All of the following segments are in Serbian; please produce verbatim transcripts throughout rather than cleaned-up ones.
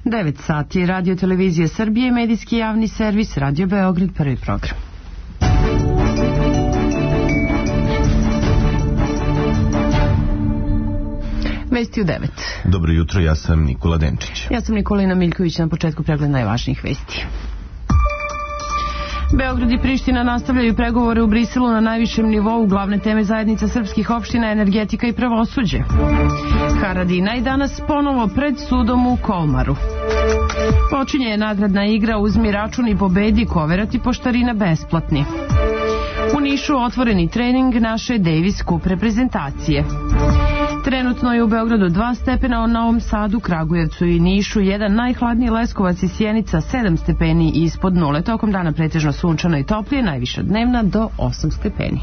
devet sati, Radio Televizija Srbije, medijski javni servis, Radio Beograd, prvi program. Vesti u devet. Dobro jutro, ja sam Nikola Denčić. Ja sam Nikolina Miljković, na početku pregled najvažnijih vesti. Beograd i Priština nastavljaju pregovore u Briselu na najvišem nivou. Glavne teme zajednica srpskih opština, energetika i pravosuđe. Haradinaj danas ponovo pred sudom u Kolmaru. Počinje je nagradna igra Uzmi račun i pobedi, koverati poštarina besplatni. U Nišu otvoreni trening naše Davis Cup reprezentacije. Trenutno je u Beogradu dva stepena, u Novom Sadu, Kragujevcu i Nišu jedan, najhladniji Leskovac i Sjenica sedam stepeni ispod nule. Tokom dana pretežno sunčano i toplije, najviša dnevna do osam stepeni.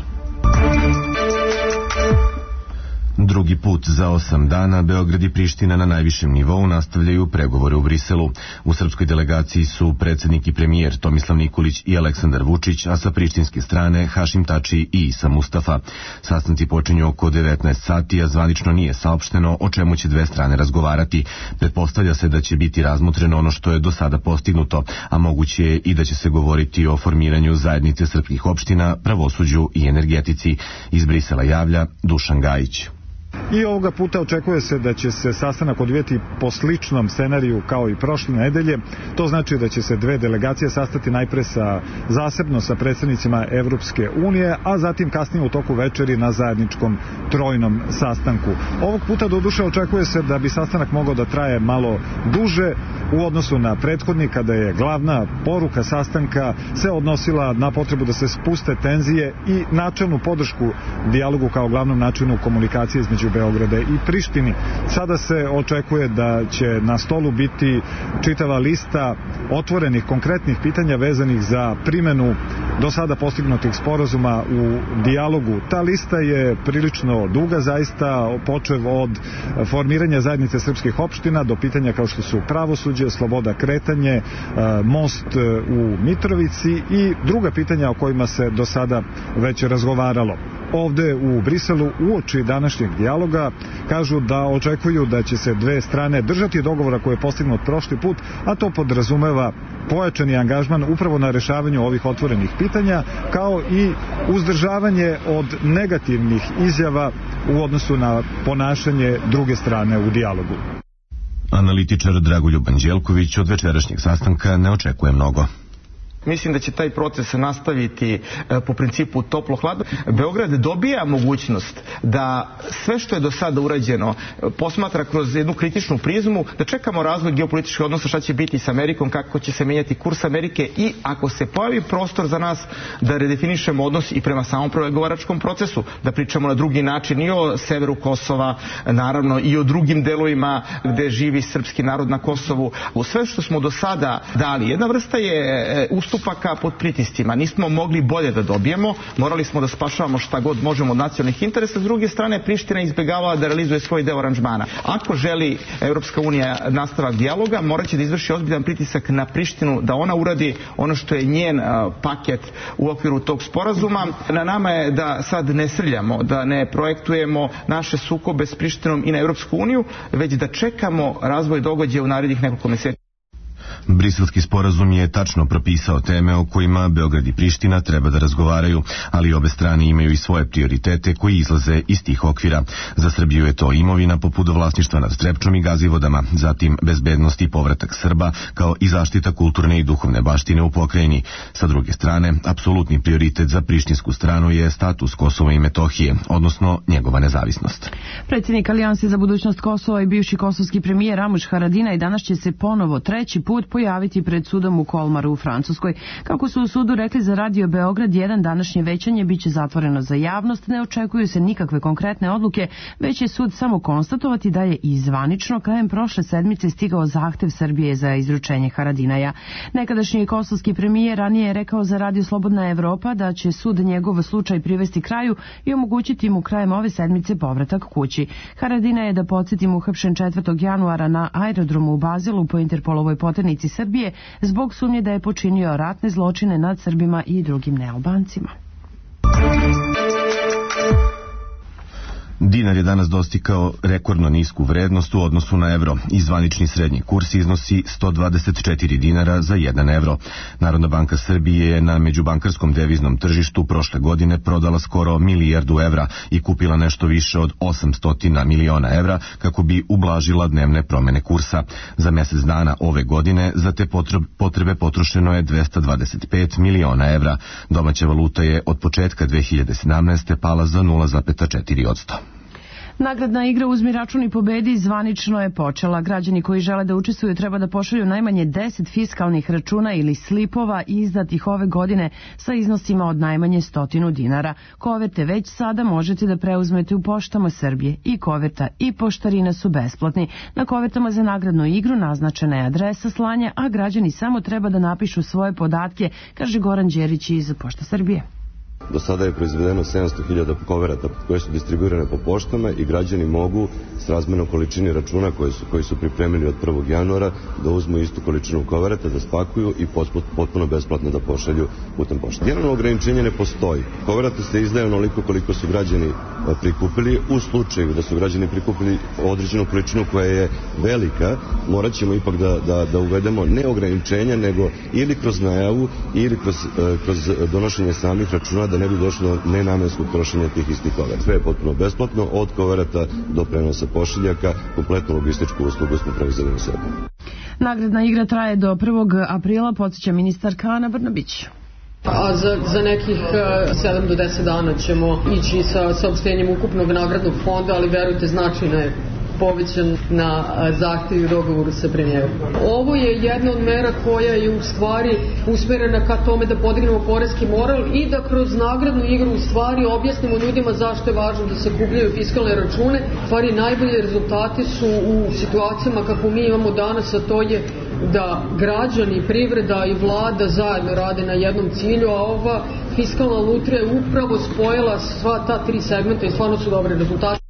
Drugi put za osam dana Beograd i Priština na najvišem nivou nastavljaju pregovore u Briselu. U srpskoj delegaciji su predsjednik i premijer Tomislav Nikolić i Aleksandar Vučić, a sa prištinske strane Hašim Tači i Isa Mustafa. Sastanci počinju oko devetnaest sati, a zvanično nije saopšteno o čemu će dve strane razgovarati. Pretpostavlja se da će biti razmotreno ono što je do sada postignuto, a moguće je i da će se govoriti o formiranju zajednice srpskih opština, pravosuđu i energetici. Iz Brisela javlja Dušan Gajić. I ovoga puta očekuje se da će se sastanak odvijeti po sličnom scenariju kao i prošle nedelje. To znači da će se dve delegacije sastati najpre sa, zasebno sa predsjednicima Evropske unije, a zatim kasnije u toku večeri na zajedničkom trojnom sastanku. Ovog puta doduše očekuje se da bi sastanak mogao da traje malo duže u odnosu na prethodni, kada je glavna poruka sastanka se odnosila na potrebu da se spuste tenzije i načelnu podršku dijalogu kao glavnom načinu komunikacije između Beograda i Prištini. Sada se očekuje da će na stolu biti čitava lista otvorenih konkretnih pitanja vezanih za primjenu do sada postignutih sporazuma u dijalogu. Ta lista je prilično duga, zaista, počev od formiranja zajednice srpskih opština do pitanja kao što su pravosuđe, sloboda kretanje, most u Mitrovici i druga pitanja o kojima se do sada već razgovaralo. Ovde u Briselu uoči današnjeg dijaloga kažu da očekuju da će se dve strane držati dogovora koje je postignut prošli put, a to podrazumeva pojačani angažman upravo na rešavanju ovih otvorenih pitanja, kao i uzdržavanje od negativnih izjava u odnosu na ponašanje druge strane u dijalogu. Analitičar Dragoljub Anđelković od večerašnjeg sastanka ne očekuje mnogo. Mislim da će taj proces nastaviti e, po principu toplo-hladno. Beograd dobija mogućnost da sve što je do sada urađeno e, posmatra kroz jednu kritičnu prizmu, da čekamo razvoj geopolitičkih odnosa, šta će biti s Amerikom, kako će se menjati kurs Amerike i ako se pojavi prostor za nas da redefinišemo odnos i prema samom pregovaračkom procesu, da pričamo na drugi način i o severu Kosova, naravno i o drugim delovima gde živi srpski narod na Kosovu. U sve što smo do sada dali, jedna vrsta je e, ustupaka pod pritiscima. Nismo mogli bolje da dobijemo, morali smo da spašavamo šta god možemo od nacionalnih interesa. S druge strane, Priština izbjegavala da realizuje svoj deo aranžmana. Ako želi Evropska unija nastavak dijaloga, morat će da izvrši ozbiljan pritisak na Prištinu da ona uradi ono što je njen uh, paket u okviru tog sporazuma. Na nama je da sad ne srljamo, da ne projektujemo naše sukobe s Prištinom i na Evropsku uniju, već da čekamo razvoj događaja u narednih nekoliko mjeseci. Briselski sporazum je tačno propisao teme o kojima Beograd i Priština treba da razgovaraju, ali obe strane imaju i svoje prioritete koji izlaze iz tih okvira. Za Srbiju je to imovina poput vlasništva nad Trepčom i Gazivodama, zatim bezbednost i povratak Srba, kao i zaštita kulturne i duhovne baštine u pokrajini. Sa druge strane, apsolutni prioritet za prištinsku stranu je status Kosova i Metohije, odnosno njegova nezavisnost. Predsjednik Alijanse za budućnost Kosova i bivši kosovski premijer Ramuš Haradinaj danas će se ponovo treći put pojaviti pred sudom u Kolmaru u Francuskoj. Kako su u sudu rekli za Radio Beograd jedan, današnje većanje biće zatvoreno za javnost, ne očekuju se nikakve konkretne odluke, već će sud samo konstatovati da je i zvanično krajem prošle sedmice stigao zahtev Srbije za izručenje Haradinaja. Nekadašnji kosovski premijer ranije je rekao za Radio Slobodna Evropa da će sud njegov slučaj privesti kraju i omogućiti mu krajem ove sedmice povratak kući. Haradinaj je, da podsjetim, uhapšen četvrtog januara na aerodromu u Bazilu po Interpolovoj poternici Srbije zbog sumnje da je počinio ratne zločine nad Srbima i drugim nealbancima. Dinar je danas dostigao rekordno nisku vrednost u odnosu na evro i zvanični srednji kurs iznosi sto dvadeset četiri dinara za jedan evro. Narodna banka Srbije je na međubankarskom deviznom tržištu prošle godine prodala skoro milijardu evra i kupila nešto više od osamsto miliona evra kako bi ublažila dnevne promene kursa. Za mjesec dana ove godine za te potrebe potrošeno je dvesta dvadeset pet miliona evra. Domaća valuta je od početka dve hiljade sedamnaeste. pala za nula zarez četiri posto. Nagradna igra Uzmi račun i pobedi zvanično je počela. Građani koji žele da učestvuju treba da pošalju najmanje deset fiskalnih računa ili slipova izdatih ove godine sa iznosima od najmanje stotinu dinara. Koverte već sada možete da preuzmete u poštama Srbije. I koverta i poštarina su besplatni. Na kovertama za nagradnu igru naznačena je adresa slanja, a građani samo treba da napišu svoje podatke, kaže Goran Đerić iz Pošta Srbije. Do sada je proizvedeno sedamsto hiljada koverata koje su distribuirane po poštama i građani mogu s razmernom količini računa koji su, koji su pripremili od prvog januara da uzmu istu količinu koverata, da spakuju i potpuno besplatno da pošalju putem pošte. Generalno ograničenje ne postoji. Koverata se izdaje onoliko koliko su građani prikupili. U slučaju da su građani prikupili određenu količinu koja je velika, morat ćemo ipak da, da, da uvedemo ne ograničenja, nego ili kroz najavu ili kroz, kroz donošenje samih računa da ne bi došlo do nenamenskog trošenja tih istih koverata. Sve je potpuno besplatno, od koverata do prenosa pošiljaka, kompletnu logističku uslugu smo preuzeli na sebe. Nagradna igra traje do prvog aprila, podsjeća ministarka Ana Brnabić. A za, za nekih sedam do deset dana ćemo ići sa saopštenjem ukupnog nagradnog fonda, ali verujte, značajno je povećan na zahtjev i dogovoru sa premijerom. Ovo je jedna od mera koja je u stvari usmerena ka tome da podignemo poreski moral i da kroz nagradnu igru u stvari objasnimo ljudima zašto je važno da se kupljaju fiskalne račune. U stvari najbolje rezultati su u situacijama kako mi imamo danas, a to je da građani, privreda i vlada zajedno rade na jednom cilju, a ova fiskalna lutrija je upravo spojila sva ta tri segmenta i stvarno su dobre rezultate.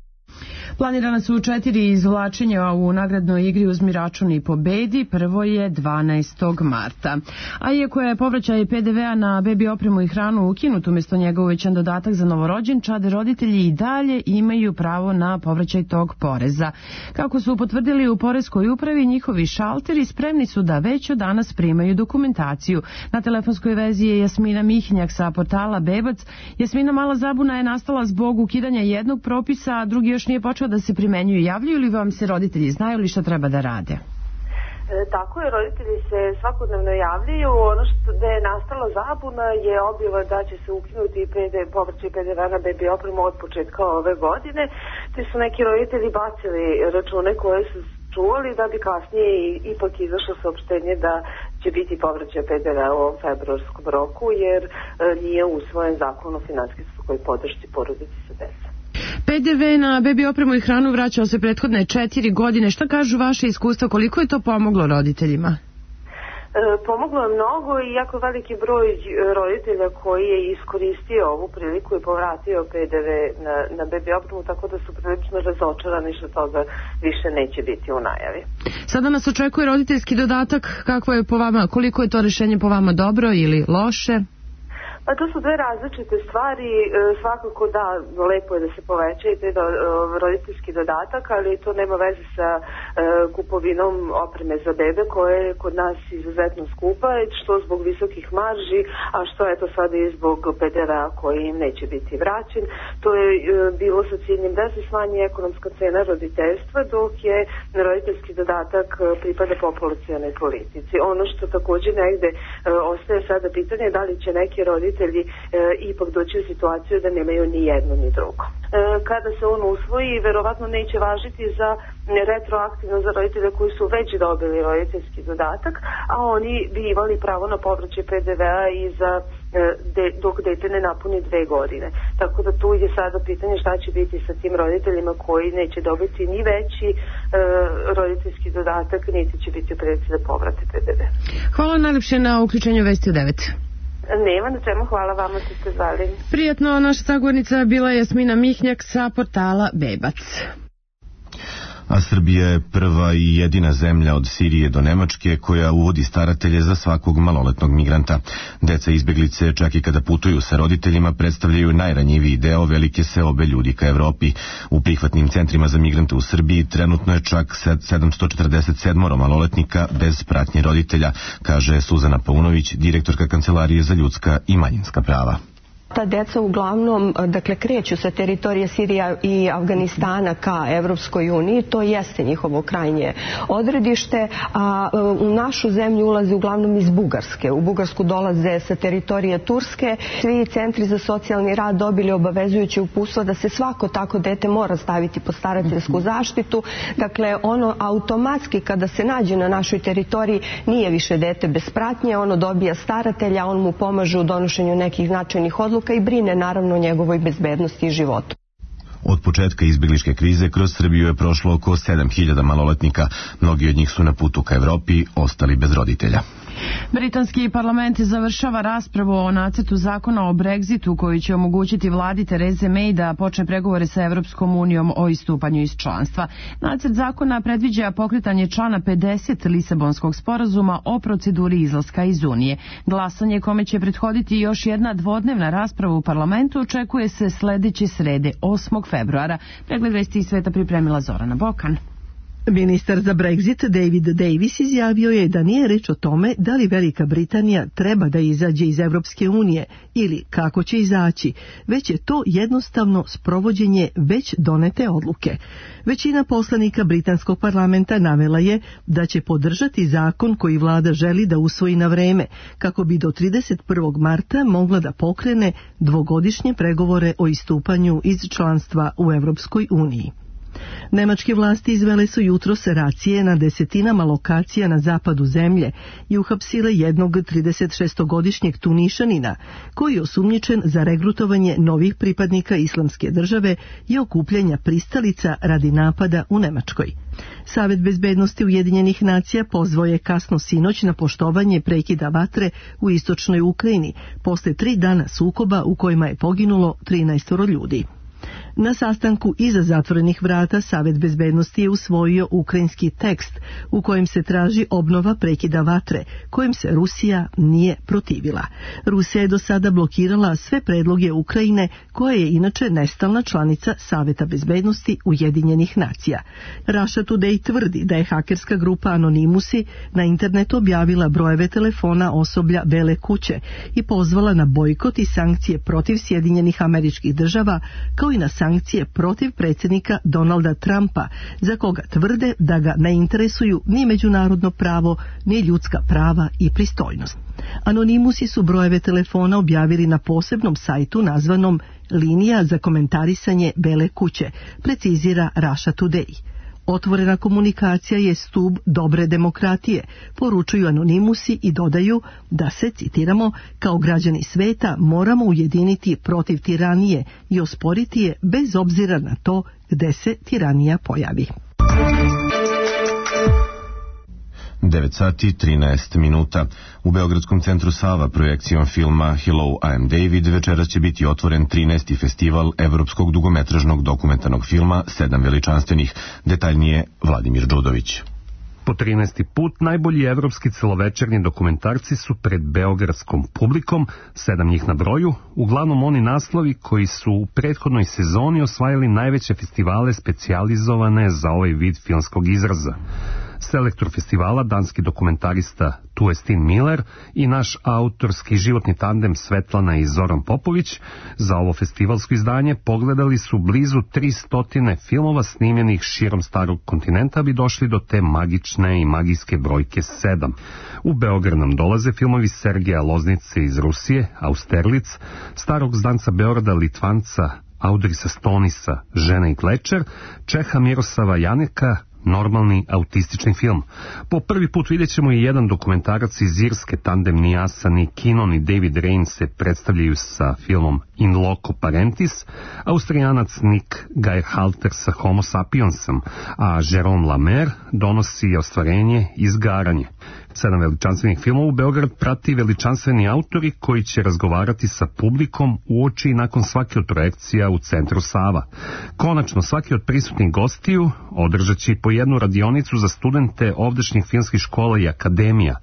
Planirana su četiri izvlačenja u nagradnoj igri Uzmi račun i pobedi. Prvo je dvanaestog marta. A iako je povraćaj pe de vea na bebi opremu i hranu ukinut, umjesto njega uvećan dodatak za novorođenčad, roditelji i dalje imaju pravo na povraćaj tog poreza. Kako su potvrdili u poreskoj upravi, njihovi šalteri spremni su da već od danas primaju dokumentaciju. Na telefonskoj vezi je Jasmina Mihnjak sa portala Bebac. Jasmina, mala zabuna je nastala zbog ukidanja jednog propisa, a drugi još nije počeo da se primenjuju. Javljaju li vam se roditelji? Znaju li šta treba da rade? E, tako je, roditelji se svakodnevno javljaju. Ono što da je nastala zabuna je objava da će se ukinuti povraćaj pe de vea na bebi opremu od početka ove godine. Te su neki roditelji bacili račune koje su čuvali da bi kasnije ipak izašlo saopštenje da će biti povraćaj pe de vea u ovom februarskom roku, jer e, nije usvojen zakon o finansijskoj podršci porodici sa decom. pe de ve na bebi opremu i hranu vraćao se prethodne četiri godine. Šta kažu vaše iskustva? Koliko je to pomoglo roditeljima? E, pomoglo je mnogo i jako veliki broj roditelja koji je iskoristio ovu priliku i povratio pe de ve na, na bebi opremu, tako da su prilično razočarani što toga više neće biti u najavi. Sada nas očekuje roditeljski dodatak. Kako je po vama, koliko je to rješenje po vama dobro ili loše? Pa to su dve različite stvari. E, svakako da, lepo je da se poveća i taj do, roditeljski dodatak, ali to nema veze sa e, kupovinom opreme za bebe koja je kod nas izuzetno skupa, što zbog visokih marži, a što je to sada i zbog pe de vea koji im neće biti vraćen. To je e, bilo sa ciljem da se smanji ekonomska cena roditeljstva, dok je roditeljski dodatak pripada populacionoj politici. Ono što također negde e, ostaje sada pitanje je da li će neki roditelji roditelji e, ipak doći u situaciju da nemaju ni jedno ni drugo. E, kada se on usvoji, verovatno neće važiti za retroaktivno za roditelje koji su već dobili roditeljski dodatak, a oni bi imali pravo na povraćaj pe de vea i za e, de, dok dete ne napuni dve godine. Tako da tu je sada pitanje šta će biti sa tim roditeljima koji neće dobiti ni veći e, roditeljski dodatak, niti će biti u prilici da povrate pe de ve. Hvala najlepše na uključenju Vesti u devet. Nema na čemu, hvala vama što ste zvali. Prijatno, naša sagovornica bila je Jasmina Mihnjak sa portala Bebac. A Srbija je prva i jedina zemlja od Sirije do Nemačke koja uvodi staratelje za svakog maloletnog migranta. Deca izbeglice, čak i kada putuju sa roditeljima, predstavljaju najranjiviji deo velike seobe ljudi ka Evropi. U prihvatnim centrima za migrante u Srbiji trenutno je čak sedamsto četrdeset sedam maloletnika bez pratnje roditelja, kaže Suzana Paunović, direktorka Kancelarije za ljudska i manjinska prava. Ta deca uglavnom, dakle, kreću sa teritorije Sirija i Afganistana ka Evropskoj uniji, to jeste njihovo krajnje odredište, a u našu zemlju ulaze uglavnom iz Bugarske. U Bugarsku dolaze sa teritorije Turske. Svi centri za socijalni rad dobili obavezujuće uputstvo da se svako tako dete mora staviti pod starateljsku zaštitu. Dakle, ono automatski kada se nađe na našoj teritoriji nije više dete bez pratnje, ono dobija staratelja, on mu pomaže u donošenju nekih značajnih odluka i brine naravno o njegovoj bezbednosti i životu. Od početka izbegličke krize kroz Srbiju je prošlo oko sedam hiljada maloletnika. Mnogi od njih su na putu ka Evropi, ostali bez roditelja. Britanski parlament završava raspravu o nacrtu zakona o Brexitu koji će omogućiti vladi Tereze May da počne pregovore sa Evropskom unijom o istupanju iz članstva. Nacrt zakona predviđa pokretanje člana pedeset Lisabonskog sporazuma o proceduri izlaska iz Unije. Glasanje kome će prethoditi još jedna dvodnevna rasprava u parlamentu očekuje se sledeće srede, osmog februara. Pregled vesti iz sveta pripremila Zorana Bokan. Ministar za Brexit David Davis izjavio je da nije reč o tome da li Velika Britanija treba da izađe iz Evropske unije ili kako će izaći, već je to jednostavno sprovođenje već donete odluke. Većina poslanika britanskog parlamenta navela je da će podržati zakon koji vlada želi da usvoji na vreme, kako bi do trideset prvog marta mogla da pokrene dvogodišnje pregovore o istupanju iz članstva u Evropskoj uniji. Nemačke vlasti izvele su jutros racije na desetinama lokacija na zapadu zemlje i uhapsile jednog tridesetšestogodišnjeg Tunišanina koji je osumnjičen za regrutovanje novih pripadnika Islamske države i okupljanja pristalica radi napada u Nemačkoj. Savet bezbednosti Ujedinjenih nacija pozvao je kasno sinoć na poštovanje prekida vatre u istočnoj Ukrajini posle tri dana sukoba u kojima je poginulo trinaest ljudi. Na sastanku iza zatvorenih vrata Savet bezbednosti je usvojio ukrajinski tekst u kojem se traži obnova prekida vatre, kojim se Rusija nije protivila. Rusija je do sada blokirala sve predloge Ukrajine, koja je inače nestalna članica Saveta bezbednosti Ujedinjenih nacija. Russia Today tvrdi da je hakerska grupa Anonymusi na internetu objavila brojeve telefona osoblja Bele kuće i pozvala na bojkot i sankcije protiv Sjedinjenih Američkih Država, kao i na sankcije protiv predsjednika Donalda Trumpa, za koga tvrde da ga ne interesuju ni međunarodno pravo, ni ljudska prava i pristojnost. Anonimusi su brojeve telefona objavili na posebnom sajtu nazvanom Linija za komentarisanje Bele kuće, precizira Russia Today. Otvorena komunikacija je stub dobre demokratije, poručuju Anonimusi i dodaju da se, citiramo, kao građani sveta moramo ujediniti protiv tiranije i osporiti je bez obzira na to gde se tiranija pojavi. devet sati trinaest minuta. U Beogradskom centru Sava projekcijom filma Hello, I am David večeras će biti otvoren trinaesti festival evropskog dugometražnog dokumentarnog filma Sedam veličanstvenih. Detaljnije Vladimir Đudović. Po trinaesti put najbolji evropski celovečernji dokumentarci su pred beogradskom publikom, sedam njih na broju, uglavnom oni naslovi koji su u prethodnoj sezoni osvajali najveće festivale specijalizovane za ovaj vid filmskog izraza. Selektor festivala, danski dokumentarista Tuestin Miller i naš autorski životni tandem Svetlana i Zoran Popović za ovo festivalsko izdanje pogledali su blizu tristotine filmova snimljenih širom starog kontinenta bi došli do te magične i magijske brojke sedam. U Beograd nam dolaze filmovi Sergeja Loznice iz Rusije, Austerlic, starog zdanca Beograda Litvanca Audrisa Stonisa, Žena i Klečer, Čeha Mirosava Janeka, normalni autistični film. Po prvi put vidjet ćemo i jedan dokumentarac iz Irske, tandem Niasa ni Kinon i David Rain se predstavljaju sa filmom In Loco Parentis, Austrijanac Nick Geirhalter sa Homo Sapiensom, a Jérôme Lamer donosi ostvarenje Izgaranje. Sedam veličanstvenih filmova u Beograd prati veličanstveni autori koji će razgovarati sa publikom uoči i nakon svake od projekcija u Centru Sava. Konačno, svaki od prisutnih gostiju održat će po jednu radionicu za studente ovdašnjih filmskih škola i akademija.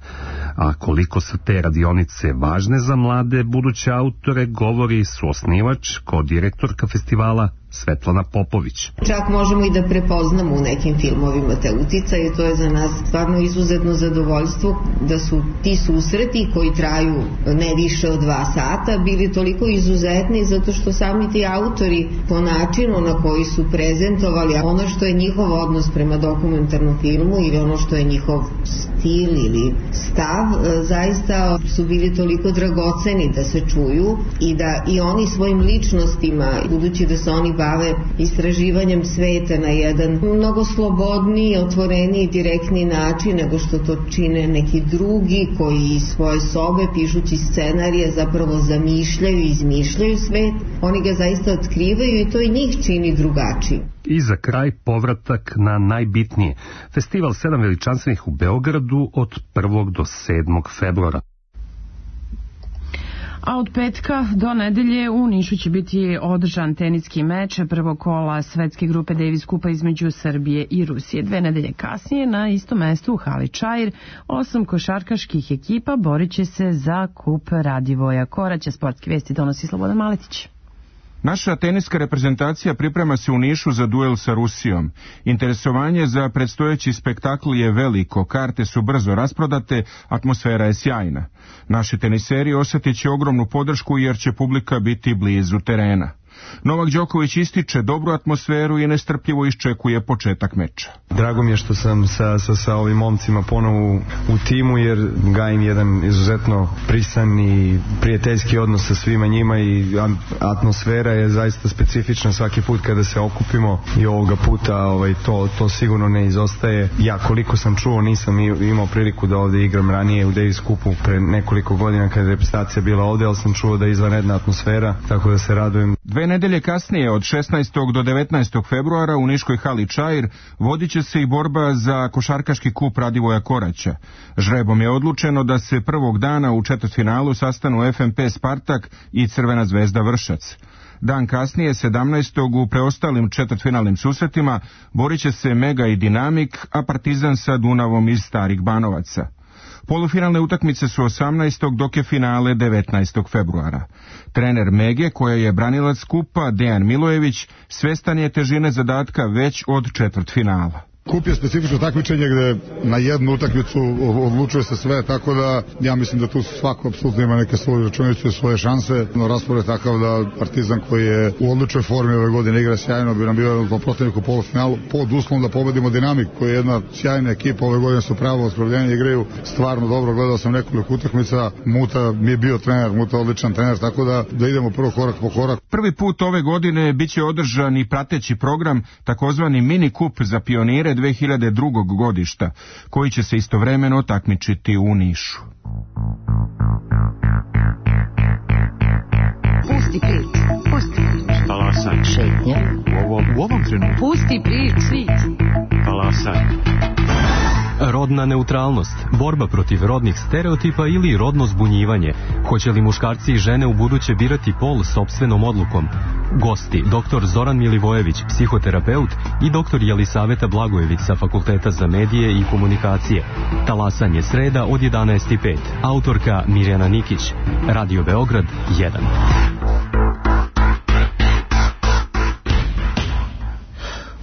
A koliko su te radionice važne za mlade buduće autore, govori suosnivač, ko-direktorka festivala Svetlana Popović. Čak možemo i da prepoznamo u nekim filmovima te uticaje i to je za nas stvarno izuzetno zadovoljstvo da su ti susreti koji traju ne više od dva sata bili toliko izuzetni zato što sami ti autori po načinu na koji su prezentovali ono što je njihov odnos prema dokumentarnom filmu ili ono što je njihov stil ili stav zaista su bili toliko dragoceni da se čuju i da i oni svojim ličnostima, budući da se oni bave istraživanjem sveta na jedan mnogo slobodniji, otvoreniji, direktni način nego što to čine neki drugi koji iz svoje sobe pišući scenarije zapravo zamišljaju i izmišljaju svet. Oni ga zaista otkrivaju i to i njih čini drugačijim. I za kraj povratak na najbitnije. Festival sedam veličanstvenih u Beogradu od prvog do sedmog februara. A od petka do nedelje u Nišu će biti održan teniski meč prvog kola svetske grupe Davis Kupa između Srbije i Rusije. Dve nedelje kasnije na istom mestu u hali Čair osam košarkaških ekipa borit će se za kup Radivoja Koraća. Sportske vesti donosi Slobodan Maletić. Naša teniska reprezentacija priprema se u Nišu za duel sa Rusijom. Interesovanje za predstojeći spektakl je veliko, karte su brzo rasprodate, atmosfera je sjajna. Naši teniseri osjetit će ogromnu podršku jer će publika biti blizu terena. Novak Đoković ističe dobru atmosferu i nestrpljivo iščekuje početak meča. Drago mi je što sam sa, sa, sa ovim momcima ponovo u, u timu jer gajim jedan izuzetno prisan i prijateljski odnos sa svima njima i atmosfera je zaista specifična svaki put kada se okupimo i ovoga puta ovaj, to, to sigurno ne izostaje. Ja koliko sam čuo nisam imao priliku da ovdje igram ranije u Davis Kupu pre nekoliko godina kada je reprezentacija bila ovdje, ali sam čuo da je izvanredna atmosfera, tako da se radujem. Dve nedelje kasnije, od šesnaestog do devetnaestog februara u Niškoj hali Čair, vodit će se i borba za košarkaški kup Radivoja Koraća. Žrebom je odlučeno da se prvog dana u četvrtfinalu sastanu F M P Spartak i Crvena zvezda Vršac. Dan kasnije, sedamnaestog u preostalim četvrtfinalnim susretima, borit će se Mega i Dinamik, a Partizan sa Dunavom iz Starih Banovaca. Polufinalne utakmice su osamnaestog dok je finale devetnaestog februara. Trener Mege, koja je branilac kupa, Dejan Milojević, svestan je težine zadatka već od četvrtfinala. Kup je specifično takmičenje gde na jednu utakmicu odlučuje se sve, tako da ja mislim da tu svako apsolutno ima neke svoje računice, svoje šanse. No, raspored je takav da Partizan koji je u odličnoj formi ove godine igra sjajno, bi nam bio po protivnik u polufinalu pod uslovom da pobedimo Dinamik, koja je jedna sjajna ekipa, ove godine su pravo oskrovljenje, igraju stvarno dobro, gledao sam nekoliko utakmica, Muta mi je bio trener, Muta je odličan trener, tako da, da idemo prvo korak po korak. Prvi put ove godine biće održan i prateći program, takozvani mini kup za pionire dve hiljade drugog godišta, koji će se istovremeno takmičiti u Nišu. Pusti prič, pusti prič. Talasaj. Šetnja. U ovom, u ovom trenutku. Pusti prič, svić. Talasaj. Rodna neutralnost, borba protiv rodnih stereotipa ili rodno zbunjivanje. Hoće li muškarci i žene u buduće birati pol sopstvenom odlukom? Gosti, doktor Zoran Milivojević, psihoterapeut i doktor Jelisaveta Blagojević sa Fakulteta za medije i komunikacije. Talasanje sreda od jedanaest i pet. Autorka Mirjana Nikić. Radio Beograd jedan.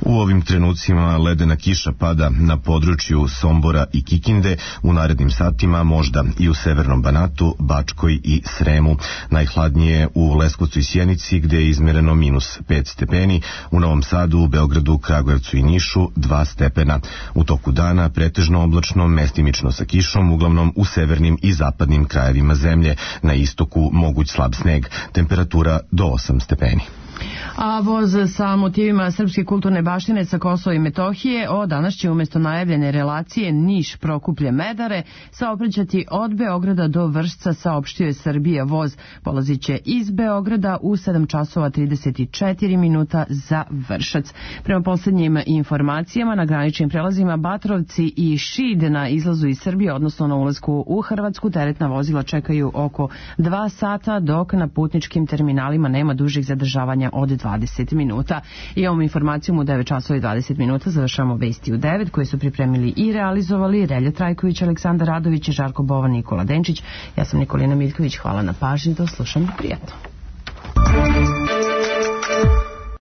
U ovim trenucima ledena kiša pada na području Sombora i Kikinde, u narednim satima možda i u Severnom Banatu, Bačkoj i Sremu. Najhladnije u Leskovcu i Sjenici, gde je izmereno minus pet stepeni, u Novom Sadu, Beogradu, Kragujevcu i Nišu dva stepena. U toku dana pretežno oblačno, mestimično sa kišom, uglavnom u severnim i zapadnim krajevima zemlje. Na istoku moguć slab sneg, temperatura do osam stepeni. A voz sa motivima srpske kulturne baštine sa Kosova i Metohije od danas će umjesto najavljene relacije Niš-Prokuplje-Medare saobraćati od Beograda do Vršca, saopštio je Srbija. Voz polazit će iz Beograda u sedam časova trideset četiri minuta za Vršac. Prema posljednjim informacijama na graničnim prelazima Batrovci i Šid na izlazu iz Srbije, odnosno na ulasku u Hrvatsku, teretna vozila čekaju oko dva sata, dok na putničkim terminalima nema dužih zadržavanja od dvadeset minuta. I ovom informacijom u devet časova i dvadeset minuta završamo vesti u devet koje su pripremili i realizovali Relja Trajković, Aleksandar Radović, Žarko Bovan, Nikola Denčić. Ja sam Nikolina Miljković, hvala na pažnji, do slušanja, prijatno.